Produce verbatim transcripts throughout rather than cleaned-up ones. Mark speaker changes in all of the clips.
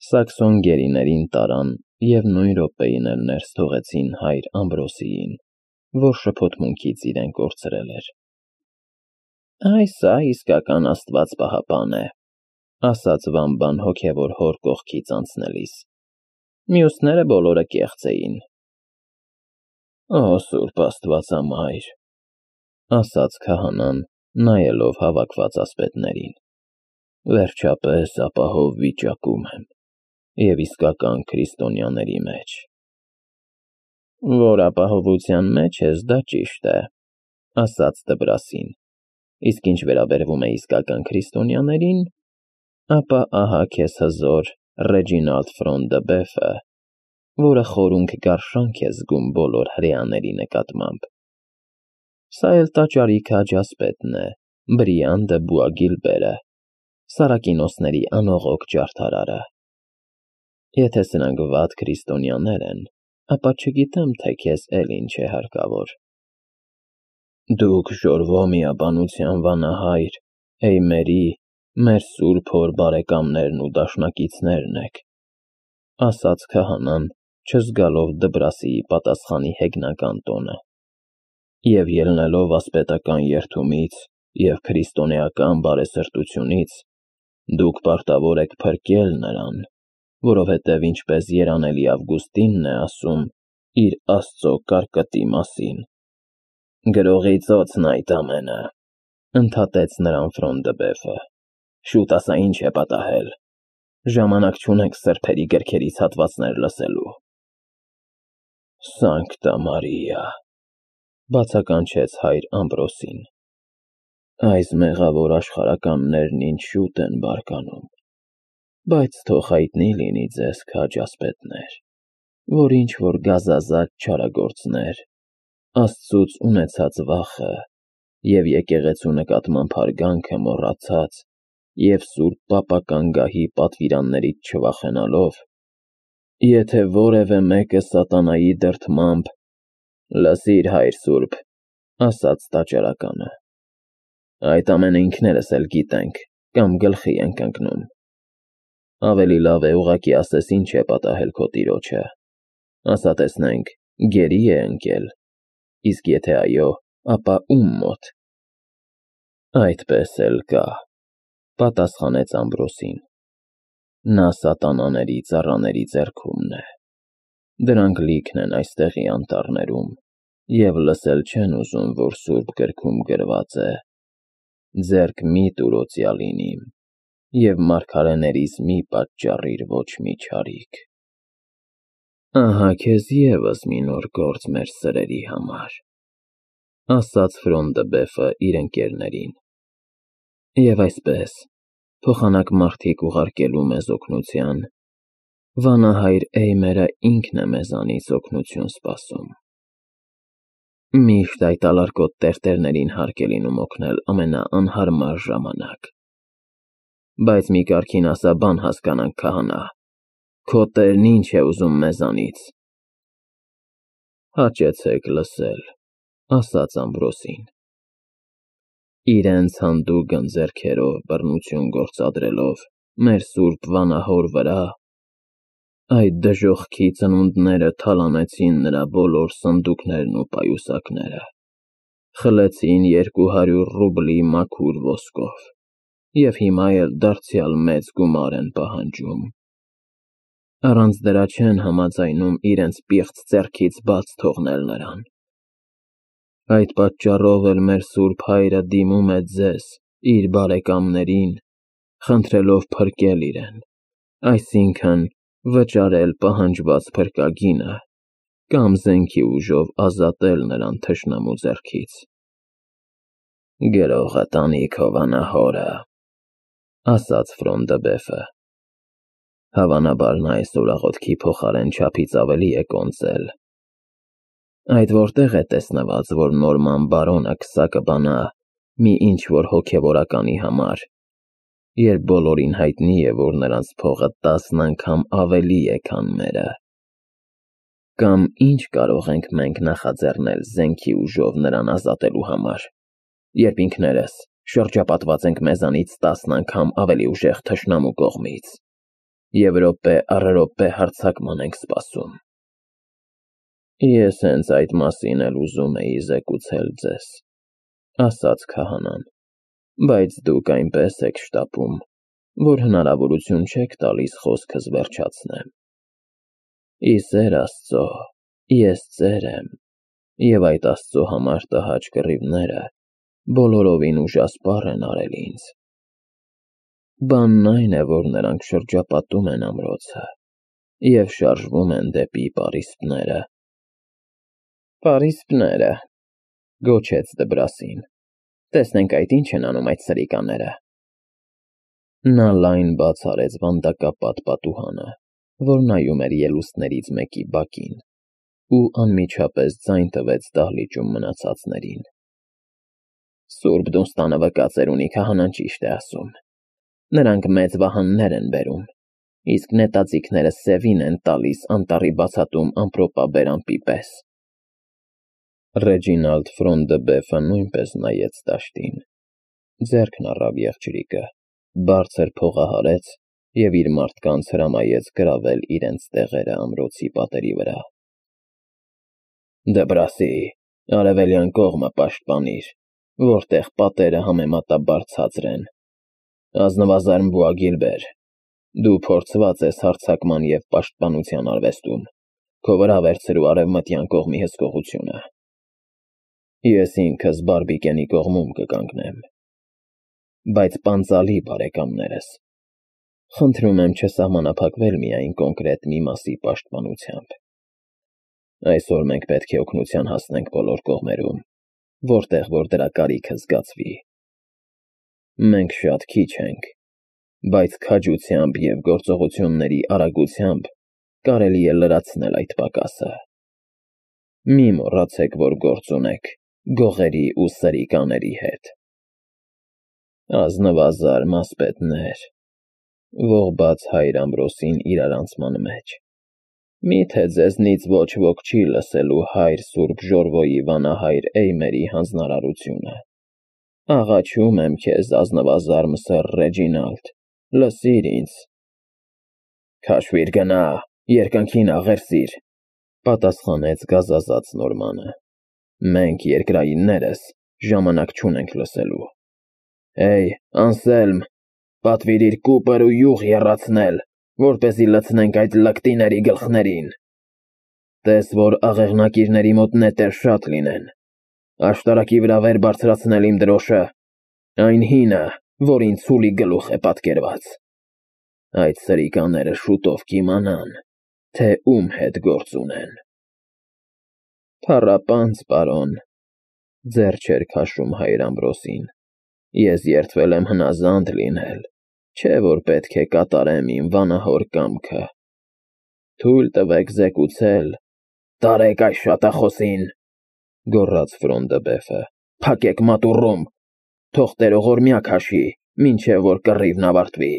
Speaker 1: Սաքսոն գերիներին տարան և նույն րոպեին էլ ներս թողեցին հայր Ամբրոսիին, որ շփոթմունքից իրեն կորցրել էր։ Այս սա իսկական աստված պահապան է, ասաց Վամբան հոգևոր հոր կողքից անցնելիս։ Մյուսները բոլորը կեղծ էին։ Օ սուրբ Աստվածամայր, ասաց քահանան, նայելով հավաքված ասպետներին, վերջապես ապահով վիճակում եմ և իսկական քրիստոնյաների մեջ։ Որ ապահովության մեջ ես, դա ճիշտ է, ասաց Դբրասին, իսկ ինչ վերաբերվում է իսկական քրիստոնյաներին, ապա ահա քեզ հզոր Ռեջինալդ Ֆրոն դը Բեֆը, որը խորունգ գարշանք է զգում բոլոր հրեաների նկատմամբ։ Սա էլ տաճարի քաջ ասպետն է, Բրիան դը Բուագիլբերը, Սարակինոսների անողոք ջարդարարը։ Եթե սրանք վատ քրիստոնյաներ են, ապա չգիտեմ, թե քեզ էլ ինչ է հարկավոր։ Դուք շորվո միաբանության վանահայր, Էյմերի, մեր սուրբ հոր բարեկամներն ու դաշնակիցներն եք, ասաց քահանան, չզգալով Դբրասիի պատասխանի հեգնական տոնը, և ելնելով ասպետական երդումից և քրիստոնեական բարեսրտությունից, դուք պարտավոր եք փրկել նրան, որովհետև ինչպես երանելի Ավգուստինն է ասում իր Աստծո կարկտի մասին։ Գրողի ծոցն այդ ամենը, ընդհատեց նրան Ֆրոն դը Բեֆը, շուտ ասա ինչ է պատահել, ժամանակ չունենք սրբերի գրքերից հատվածներ լսելու։ Սանկտա Մարիա, բացականչեց հայր Ամբրոսին, այս մեղավոր աշխարհականներն ինչ շուտ են բարկանում, բայց թող հայտնի լինի ձեզ քաջ ասպետներ, որ ինչ-որ գազազատ չարագործներ, Աստծուց ունեցած վախը և եկեղեցու նկատմամբ հարգանքը մոռացած և սուրբ պապական գահի պատվիրաններից չվախենալով, եթե որևէ մեկը սատանայի դրդմամբ… Լսիր, հայր սուրբ, ասաց տաճարականը, այդ ամենը ինքներս էլ գիտենք կամ գլխի ենք ընկնում։ Ավելի լավ է ուղղակի ասես ինչ է պատահել քո տիրոջը, ասա տեսնենք, գերի՞ է ընկել, իսկ եթե այո, ապա ում մոտ։ Այդպես էլ կա, պատասխանեց Ամբրոսին, նա սատանաների ծառաների ձեռքումն է, դրանք լիքն են այստեղի անտառներում և լսել չեն ուզում, որ սուրբ գրքում գրված է. ձեռք մի տուր օծյալին իմ և մարգարեներիս մի պատճառիր ոչ մի չարիք։ Ահա քեզ ևս մի նոր գործ մեր սրերի համար, ասաց Ֆրոն դը Բեֆը իր ընկերներին, և այսպես, փոխանակ մարդիկ ուղարկելու մեզ օգնության, վանահայր Էյմերը ինքն է մեզանից օգնություն սպասում։ Միշտ այդ ալարկոտ տերտերներին հարկ է լինում օգնել ամենաանհարմար ժամանակ։ Բայց մի կարգին ասա բան հասկանանք, քահանա, քո տերն ինչ է ուզում մեզանից։ Հաճեցեք լսել, ասաց Ամբրոսին, իրենց հանդուգն ձեռքերով բռնություն գործադրելով մեր սուրբ վանահոր վրա, այդ դժոխքի ծնունդները թալանեցին նրա բոլոր սնդուկներն ու պայուսակները, խլեցին երկու հարյուր ռուբլի մաքուր ոսկով և հիմա էլ դարձյալ մեծ գումար են պահանջում։ Առանց դրա չեն համաձայնում իրենց պիղծ ձեռքից բաց թողնել նրան։ Այդ պատճառով էլ մեր սուրբ հայրը դիմում է ձեզ, իր բարեկամներին, խնդրելով փրկել իրեն, այսինքն վճարել պահանջված փրկագինը կամ զենքի ուժով ազատել նրան թշնամու ձեռքից։ Գրողը տանի քո վանահորը, ասաց Ֆրոն դը Բեֆը, հավանաբար նա այսօր աղոթքի փոխարեն չափից ավելի է կոնծել։ Այդ որտեղ է տեսնված, որ Նորման բարոնը քսա կբանա մի ինչ-որ հոգևորականի համար, երբ բոլորին հայտնի է, որ նրանց փողը տասն անգամ ավելի է, քան մերը։ Կամ ինչ կարող ենք մենք նախաձեռնել զենքի ուժով նրան ազատելու համար, երբ ինքներս շրջապատված ենք մեզանից տասն անգամ ավելի ուժեղ թշնամու կողմից։ և րոպե առ րոպե հարձակման ենք սպասում։ Ես հենց այդ մասին էլ ուզում էի զեկուցել ձեզ, ասաց քահանան, բայց դուք այնպես եք շտապում, որ հնարավորություն չեք տալիս խոսքս վերջացնեմ։ Ի սեր Աստծո, ես ծեր եմ, և այդ Աստծո համար տհաճ կռիվները բոլորովին ուժասպառ են արել ինձ։ Բանն այն է, որ նրանք շրջապատում են ամրոցը և շարժվում են դեպի պարիսպները։ Պարիսպները, գոչեց Դբրասին, տեսնենք այդ ինչ են անում այդ սրիկաները։ Նա լայն բաց արեց վանդակապատ պատուհանը, որ նայում էր ելուստներից մեկի բակին, ու անմիջապես ձայն տվեց դահլիճում մնացածներին։ Սուրբ Դունստանը վկածեր ունի, քահանան ճիշտ է ասում։ Նրանք մեծ վահաններ են բերում, իսկ նետաձիգները սևին են տալիս անտառի բացատում ամպրոպաբեր ամպի պես։ Ռեջինալդ Ֆրոն դը Բեֆը նույնպես նայեց դաշտին, ձեռքն առավ եղջյուրիկը, բարձր փողահարեց և իր մարդկանց հրամայեց գրավել իրենց տեղերը ամրոցի պատերի վրա։ Դբրասի, արևելյան կողմը պաշտպանիր, որտեղ պատերը համեմատաբար ցածր են։ Ազնվազարմ Բուագիլբեր, դու փորձված ես հարձակման և պաշտպանության արվեստում, քո վրա վերցրու արևմտյան կողմի հսկողությունը։ Ես ինքս Բարբիկենի կողմում կկանգնեմ։ Բայց պանծալի, բարեկամներս, խնդրում եմ չսահմանափակվել միայն կոնկրետ մի մասի պաշտպանությամբ։ Այսօր մենք պետք է օգնության հասնենք բոլոր կողմերում, որտեղ որ դրա կարիքը զգացվի։ Մենք շատ քիչ ենք, բայց քաջությամբ և գործողությունների արագությամբ կարելի է լրացնել այդ պակասը։ Մի մոռացեք, որ գործ ունեք գողերի ու սրիկաների հետ։ Ազնվազարմ ասպետներ, ողբած հայր Ամբրոսին իրարանցման մեջ, միթե ձեզնից ոչ ոք չի լսելու հայր Սուրբ Ժորվոյի վանահայր Էյմերի հանձնարարությունը։ Աղաչում եմ քեզ, ազնվազարմ սըր Ռեջինալդ, լսիր ինձ։ Քաշվիր գնա, երկնքին աղերսիր, պատասխանեց գազազած Նորմանը։ Մենք երկրայիններս ժամանակ չունենք լսելու։ Հեյ, Անսելմ, պատվիրիր կուպր ու յուղ եռացնել, որպեսզի լցնենք այդ լկտիների գլխներին։ Տես, որ աղեղնակիրների մոտ նետեր շատ լինեն։ Աշտարակի վրա վեր բարձրացնել իմ դրոշը, այն հինը, որին ցուլի գլուխ է պատկերված։ Այդ սրիկաները շուտով կիմանան, թե ում հետ գործ ունեն։ Փառապանծ պարոն, ձեռ չէր քաշում հայր Ամբրոսին, ես երդվել եմ հնազանդ լինել, չէ որ պետք է կատարեմ իմ վանահոր կամքը։ Թույլ տվեք զեկուցել։ Տարեք այս շատախոսին, գոռաց Ֆրոն դը Բեֆը, փակեք մատուռում, թող տերողորմյա քաշի, մինչև որ կռիվն ավարտվի։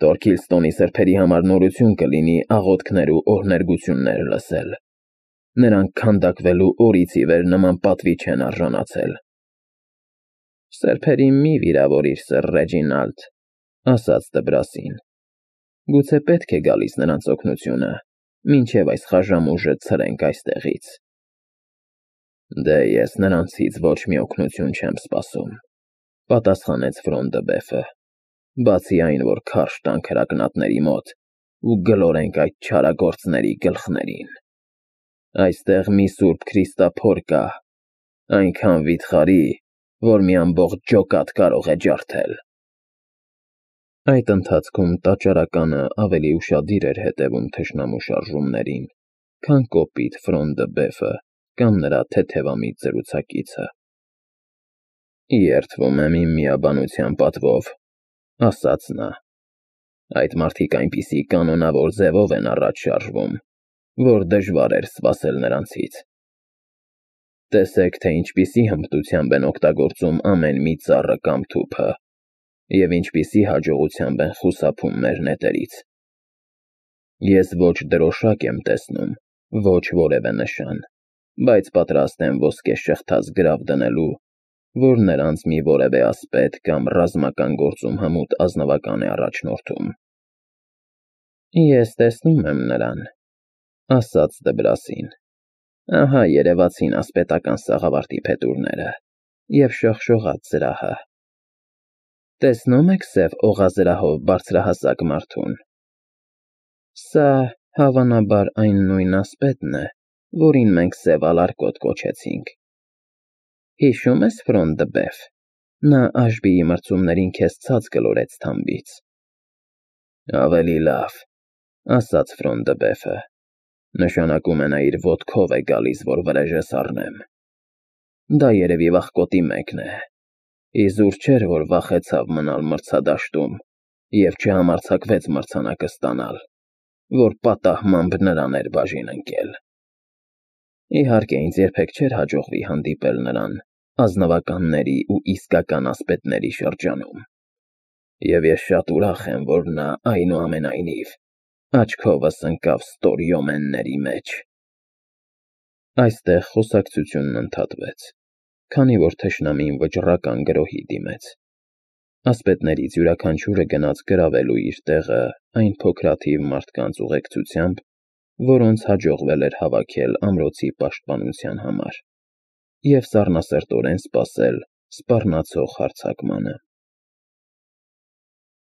Speaker 1: Տորքիլստոնի սրբերի համար նորություն կլինի աղոթքներ ու օրհներգություններ լսել։ Նրանք քանդակվելու օրից ի վեր նման պատվի չեն արժանացել։ Սրբերին մի վիրավորիր, սըր Ռեջինալդ, ասաց Դբրասին։ Գուցե պետք է գալիս նրանց օգնությունը, մինչև այս խաժամուժը ցրենք այստեղից։ Դե ես նրանցից ոչ մի օգնություն չեմ սպասում, պատասխանեց Ֆրոն դը Բեֆը, բացի այն, որ քարշ տանք հրակնատների մոտ ու գլորենք այդ չարագործների գլխներին։ Այստեղ մի սուրբ Քրիստափոր կա, այնքան վիթխարի, որ մի ամբողջ ջոկատ կարող է ջարդել։ Այդ ընթացքում տաճարականը ավելի ուշադիր էր հետևում թշնամու շարժումներին, քան կոպիտ Ֆրոն դը Բեֆը կամ նրա թեթևամիտ զրուցակիցը։ Երդվում եմ իմ միաբանության պատվով, ասաց նա։ Այդ մարդիկ այնպիսի կանոնավոր ձևով են առաջ շարժվում, որ դժվար էր սպասել նրանցից։ Տեսեք, թե ինչպիսի հմտությամբ են օգտագործում ամեն մի ծառը կամ թուփը, և ինչպիսի հաջողությամբ են խուսափում մեր նետերից։ Ես ոչ դրոշակ եմ տեսնում, ոչ որևէ նշան, բայց պատրաստ եմ ոսկե շղթած գրավ դնելու, որ նրանց մի որևէ ասպետ կամ ռազմական գործում հմուտ ազնվական է առաջնորդում։ Ես տեսնում եմ նրան, ասաց Դբրասին։ Ահա երևացին ասպետական սաղավարտի փետուրները և շողշողաց զրահը։ Տեսնում եք սև օղազրահով բարձրահասակ մարդուն։ Սա, հավանաբար, այն նույն ասպետն է, որին մենք Սև Ալարկոտ կոչեցինք։ Հիշո՞ւմ ես Ֆրոն դը Բեֆ, նա Աշբիի մրցումներին քեզ ցած գլորեց թամբից։ Ավելի լավ, ասաց Ֆրոն դը Բեֆը, նշանակում է նա իր ոտքով է գալիս, որ վրեժս առնեմ։ Դա երևի վախկոտի մեկն է, իզուր չէր, որ վախեցավ մնալ մրցադաշտում և չհամարձակվեց մրցանակը ստանալ, որ պատահմամբ նրան էր բաժին ընկել։ Իհարկե, ինձ երբեք չէր հաջողվի հանդիպել նրան ազնվականների ու իսկական ասպետների շրջանում, և ես շատ ուրախ եմ, որ նա, այնուամենայնիվ, աչքովս ընկավ ստորյոմենների մեջ։ Այստեղ խոսակցությունն ընդհատվեց, քանի որ թշնամին վճռական գրոհի դիմեց։ Ասպետներից յուրաքանչյուրը գնաց գրավելու իր տեղը այն փոքրաթիվ մարդկանց ուղեկցությամբ, որոնց հաջողվել էր հավաքել ամրոցի պաշտպանության համար, և սառնասրտորեն սպասել սպառնացող հարձակմանը։